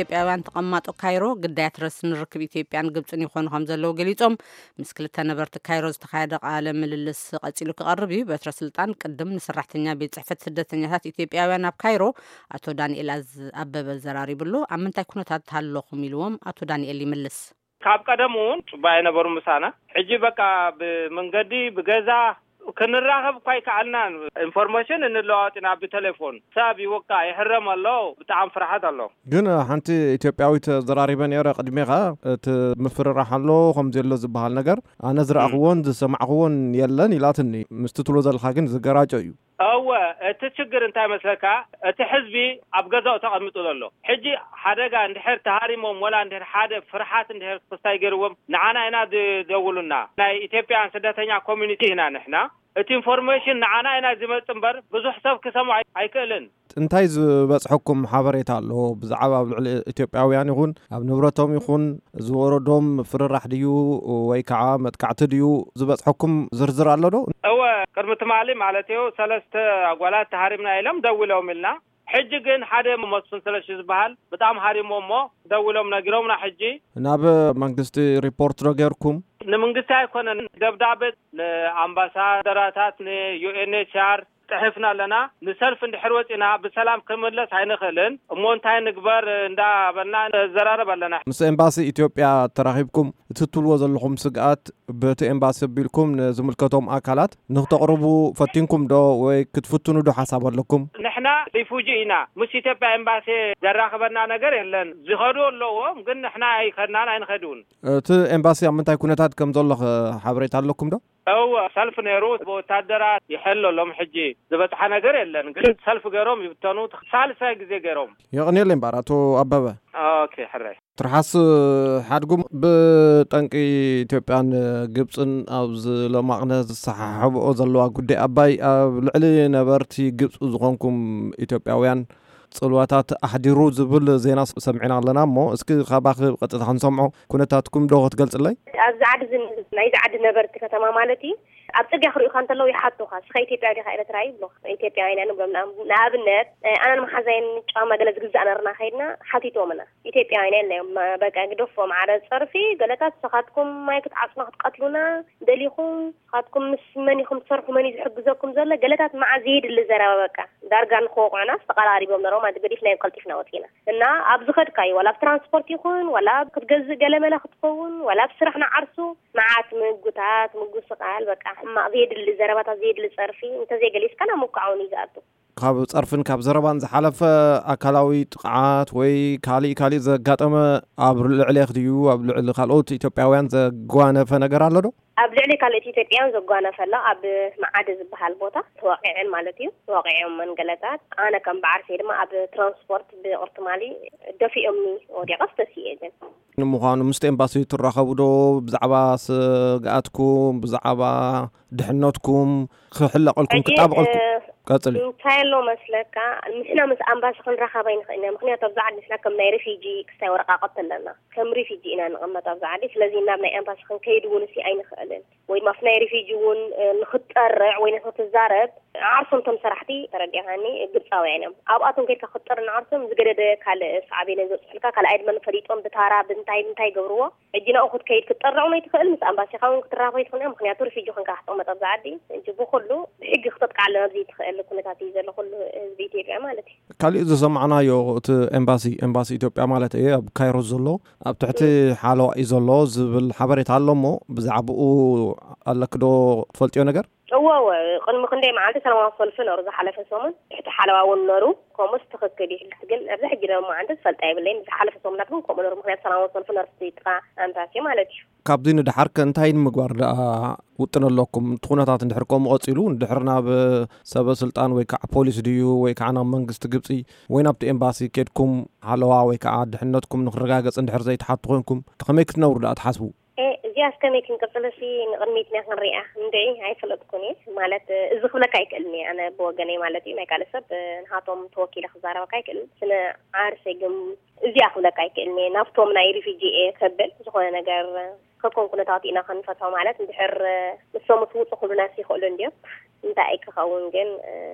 ኢትዮጵያውያን ተቐማጦ ካይሮ ግዳያት ረስኒ ርክብ ኢትዮጵያን ግብፅን ይኾኑ ከም ዘለዉ ገሊጾም፣ ምስ ክልተ ነበርቲ ካይሮ ዝተኻየደ ቃለ ምልልስ ቀጺሉ ክቐርብ እዩ። በትረ ስልጣን ቅድም ንሰራሕተኛ ቤት ጽሕፈት ስደተኛታት ኢትዮጵያውያን ኣብ ካይሮ ኣቶ ዳንኤል ኣዝ-፣ ኣበበ ዘራሪብሉ። ኣብ ምንታይ ኩነታት ኣለኹም ኢልዎም ኣቶ ዳንኤል ይምልስ። ካብ ቀደም እውን ጽቡቅ ኣይነበሩ ምሳና። ሕጂ በቃ ብመንገዲ፣ ብገዛ ክንራኸብ እኳ ኣይከኣልናን። ኢንፎርሜሽን እንለዋወጥ ኢና ብቴሌፎን። ሰብ ይወቃ፣ ይሕረም ኣሎ። ብጣዕሚ ፍርሓት ኣሎ። ግን ሓንቲ ኢትዮጵያዊት ዘራሪበ ነይረ ቅድሜኻ፣ እቲ ምፍርራሕ ኣሎ ከምዚ ኣሎ ዝበሃል ነገር ኣነ ዝረኣኽዎን ዝሰማዕኽዎን የለን ኢላትኒ። ምስቲ ትብሎ ዘለኻ ግን ዝገራጮ እዩ። እወ፣ እቲ ችግር እንታይ መስለካ? እቲ ሕዝቢ ኣብ ገዛኡ ተቐሚጡ ዘሎ። ሕጂ ሓደጋ እንድሕር ተሃሪሞም ወላ እንድሕር ሓደ ፍርሓት እንድሕር ክስታይ ገይርዎም ንዓና ኢና ዝደውሉና። ናይ ኢትዮጵያን ስደተኛ ኮሚኒቲ ኢና ንሕና። እቲ ኢንፎርሜሽን ንዓና ኢና ዝመጽእ እምበር ብዙሕ ሰብ ክሰምዖ ኣይ-፣ ኣይክእልን። እንታይ ዝበጽሐኩም ሓበሬታ ኣሎ ብዛዕባ ኣብ ልዕሊ ኢትዮጵያውያን ይኹን ኣብ ንብረቶም ይኹን ዝወረዶም ፍርራሕ ድዩ ወይ ከዓ መጥቃዕቲ ድዩ ዝበጽሐኩም ዝርዝር ኣሎ ዶ? እወ፣ ቅድሚ ትማሊ ማለት እዩ፣ ሰለስተ ኣጓላት ተሃሪምና ኢሎም ደዊሎም ኢልና። ሕጂ ግን ሓደ መስፍን ስለሺ ዝበሃል ብጣም ሃሪሞ እሞ ደዊሎም ነጊሮምና። ሕጂ ናብ መንግስቲ ሪፖርት ዶ ጌርኩም? ንመንግስቲ ኣይኮነን፣ ደብዳቤ ንኣምባሳደራታት፣ ንዩኤንኤችኣር ጽሕፍና ኣለና። ንሰልፍ እንድሕር ወጺና ብሰላም ክምለስ ኣይንኽእልን እሞ እንታይ ንግበር እንዳበልና ንዘራረብ ኣለና። ምስ ኤምባሲ ኢትዮጵያ ተራኺብኩም እቲ ትብልዎ ዘለኹም ስግኣት በቲ ኤምባሲ ኣቢልኩም ንዝምልከቶም ኣካላት ንክተቕርቡ ፈቲንኩም ዶ ወይ ክትፍትኑ ዶ ሓሳብ ኣለኩም? ንሕና ሪፉጂ ኢና። ምስ ኢትዮጵያ ኤምባሲ ዘራኽበና ነገር የለን። ዝኸዱ ኣለዎም፣ ግን ንሕና ኣይኸድናን ኣይንኸድውን። እቲ ኤምባሲ ኣብ ምንታይ ኩነታት ከም ዘሎ ኸ ሓበሬታ ኣለኩም ዶ? እወ፣ ሰልፍ ነይሩ። ብወታደራት ይሕል ኣሎም። ሕጂ ዝበጽሐ ነገር የለን፣ ግን ሰልፍ ገይሮም ይብተኑ። ሳልሳይ ግዜ ገይሮም። የቕንየለይ እምበኣር ኣቶ ኣበበ። ኦኬ፣ ሕራይ። ትርሓስ ሓድጉም፣ ብጠንቂ ኢትዮጵያን ግብፅን ኣብዚ ሎማቕነ ዝሰሓሕብኦ ዘለዋ ጉዳይ ኣባይ ኣብ ልዕሊ ነበርቲ ግብፂ ዝኾንኩም ኢትዮጵያውያን ፅልዋታት ኣሕዲሩ ዝብል ዜና ሰሚዕና ኣለና። እሞ እስኪ ካባኺ ብቐጥታ ክንሰምዖ፣ ኩነታትኩም ዶ ክትገልፅለይ? ኣብዚ ዓዲ እዚ፣ ናይዚ ዓዲ ነበርቲ ከተማ ማለት እዩ፣ ኣብ ጽርግያ ክርእዩኻ እንተለዉ ይሓቱኻ፣ "እስኻ ኢትዮጵያዊ ዲኻ ኤርትራዊ?" ይብሉኻ። ኢትዮጵያውያን ኢና ንብሎም። ንኣብነት፣ ኣነን መሓዛይን ጫማ ገለ ዝግዛእ ነርና ከይድና ሓቲቶምና። ኢትዮጵያውያን እዮም። በቃ ግደፎም፣ ዓረ ጸርፊ፣ ገለታት ንስኻትኩም ማይ ክትዓጽኑ ክትቀትሉና ደሊኹም፣ ንስኻትኩም ምስ መን ኢኹም ትሰርሑ፣ መን እዩ ዝሕግዘኩም ዘሎ? ገለታት መዓት ዘየድሊ ዘረባ በቃ። ዳርጋ ንኽወቕዑና ተቐራሪቦም ነሮም፣ ኣዚ ገዲፍናዮም ቀልጢፍና ወጺና። እና ኣብ ዝኸድካዮ፣ ዋላ ኣብ ትራንስፖርት ይኹን፣ ዋላ ኣብ ክትገዝእ ገለመለ ክትኸውን፣ ዋላ ኣብ ስራሕ ንዓርሱ፣ መዓት ምጉታት፣ ምጉስ ቃል፣ በቃ ሕማቕ ዘየድሊ ዘረባታት፣ ዘየድሊ ጸርፊ እንተዘይገሊጽካ ናብ ምውቃዕ እውን እዩ ዝኣቱ። ካብ ጸርፍን ካብ ዘረባን ዝሓለፈ ኣካላዊ ጥቕዓት ወይ ካሊእ ካሊእ ዘጋጠመ ኣብ ልዕሌኽ ድዩ ኣብ ልዕሊ ካልኦት ኢትዮጵያውያን ዘጓነፈ ነገር ኣሎ ዶ? ኣብ ልዕሊ ካልኦት ኢትዮጵያውያን ዘጓነፈ ኣሎ። ኣብ መዓደ ዝበሃል ቦታ ተወቒዐን ማለት እዩ። ተወቒዖም መንገለታት። ኣነ ከም በዓርሰይ ድማ ኣብ ትራንስፖርት ብቕርትማሊ ደፊኦምኒ ወዲቐስ ተሲኤ ግን። ንምዃኑ ምስቲ ኤምባሲ ትራኸቡ ዶ? ብዛዕባ ስግኣትኩም፣ ብዛዕባ ድሕነትኩም ክሕለቐልኩም ሕጂ፣ ክጣበቐልኩም? እ፣ ቀጽሊ። እንታይ ኣሎ መስለካ፣ ንሕና ምስ ኣምባሲ ክንራኸብ ኣይንኽእልን ኢና። ምኽንያቱ ኣብዚ ዓዲ ንሕና ከም ናይ ሪፊጂ ክስታይ ወረቃቕቲ ኣለና። ከም ሪፊጂ ኢና ንቕመጥ ኣብዚ ዓዲ። ስለዚ ናብ ናይ ኣምባሲ ክንከይድ እውን እሲ ኣይንኽእልን። ወይ ድማ ኣብቲ ናይ ሪፊጂ እውን፣ እ፣ ንኽትጠርዕ ወይ ንኽትዛረብ ዓርሶም እቶም ሰራሕቲ፣ ተረዲእካኒ፣ ግብፃውያን እዮም። ኣብኣቶም ከይድካ ክትጠርዕ ንዓርሶም ዝገደደ ካልእ ሳዕቤን እዮም ዘብፅሑልካ። ካልኣይ ድማ ንፈሊጦም ብታራ ብንታይ ብንታይ ይገብርዎ። ሕጂ ናብኡ ክትከይድ ክትጠርዕ እውን ኣይትኽእል። ምስ ኣምባሲኻ እውን ክትራኸብ ኣይትኽእል። ምኽንያቱ ሪፊጂ ኮንካ ክትቕመጥ ኣብዚ ዓዲ። ሕጂ ብኹሉ ብሕጊ ክተጥቅዓሎም ኣብ ዘይትኽእል ኩነታት እዩ ዘሎ ኩሉ ህዝቢ ኢትዮጵያ ማለት እዩ። ካሊእ ዝሰማዕናዮ እቲ ኤምባሲ፣ ኤምባሲ ኢትዮጵያ ማለት እየ፣ ኣብ ካይሮ ዘሎ፣ ኣብ ትሕቲ ሓለዋ እዩ ዘሎ ዝብል ሓበሬታ ኣሎ እሞ ብዛዕባኡ ኣለኪ ዶ ትፈልጥዮ ነገር? እወ፣ እወ፣ ቅድሚ ክንደይ መዓልቲ ሰላማዊ ሰልፊ ነሩ ዝሓለፈ ሰሙን፣ ትሕቲ ሓለዋ እውን ነሩ፣ ከምኡስ ትኽክል እዩ። ግን ኣብዚ ሕጂ ደሞ መዓልቲ ዝፈልጣ የብለይን። ዝሓለፈ ሰሙናት ግን ከምኡ ነሩ፣ ምኽንያቱ ሰላማዊ ሰልፊ ነሩ፣ እቲ ጥቓ ኣምባሲ ማለት እዩ። ካብዚ ንደሓር ከ እንታይ ንምግባር ደኣ ውጥን ኣለኩም? እቲ ኩነታት እንድሕር ከምኡ ቀጺሉ፣ እንድሕር ናብ ሰበ ስልጣን ወይ ከዓ ፖሊስ ድዩ ወይ ከዓ ናብ መንግስቲ ግብጺ ወይ ናብቲ ኤምባሲ ኬድኩም ሓለዋ ወይ ከዓ ድሕነትኩም ንክረጋገጽ እንድሕር ዘይትሓቱ ኮንኩም፣ ከመይ ክትነብሩ ደኣ ትሓስቡ? ኤ፣ እዚኣስ ከመይ ክንቅጽልሲ ንቕድሚትና ክንሪኣ እንድዒ ኣይፈለጥኩን እየ። ማለት፣ እዚ ክብለካ ኣይክእልን እየ ኣነ ብወገነይ ማለት እዩ። ናይ ካልእ ሰብ፣ ንሃቶም ተወኪለ ክዛረበካ ኣይክእልን። ስነ ዓርሰይ ግን እዚኣ ክብለካ ኣይክእልን እየ። ናብቶም ናይ ሪፊጂ እየ ከብል ዝኾነ ነገር ከከም ኩነታት ኢና ክንፈትሖ። ማለት እንድሕር ንሶም ትውፁ ክብሉናስ ይኽእሉ እንድዮም። እንታይ ክኸውን ግን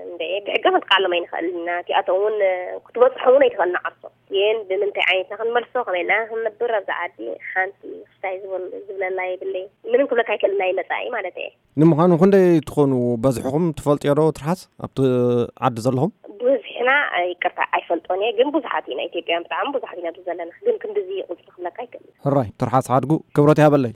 እንደ ብሕጊ ክንቃሎም ኣይንኽእልን ኢና። እቲኣቶም እውን ክትበፅሖም እውን ኣይትኽእልን ዓርሶም። ግን ብምንታይ ዓይነትና ክንመልሶ፣ ከመይ ኢልና ክንነብር ኣብዛ ዓዲ ሓንቲ ክስታይ ዝበል- ዝብለላ የብለይ። ምንም ክብለካ ኣይክእልን ናይ መፃኢ ማለት እየ። ንምዃኑ ክንደይ ትኾኑ በዝሕኹም ትፈልጥዮ ዶ ትርሓስ ኣብቲ ዓዲ ዘለኹም? ብዙሕና ይቅርታ ኣይፈልጦን እየ፣ ግን ብዙሓት ኢና። ኢትዮጵያን ብጣዕሚ ብዙሓት ኢና ኣብዚ ዘለና፣ ግን ክንድዚ ቁፅሪ ክብለካ ኣይክእልን። ሕራይ ትርሓስ ሓድጉ ክብረት ይሃበለይ።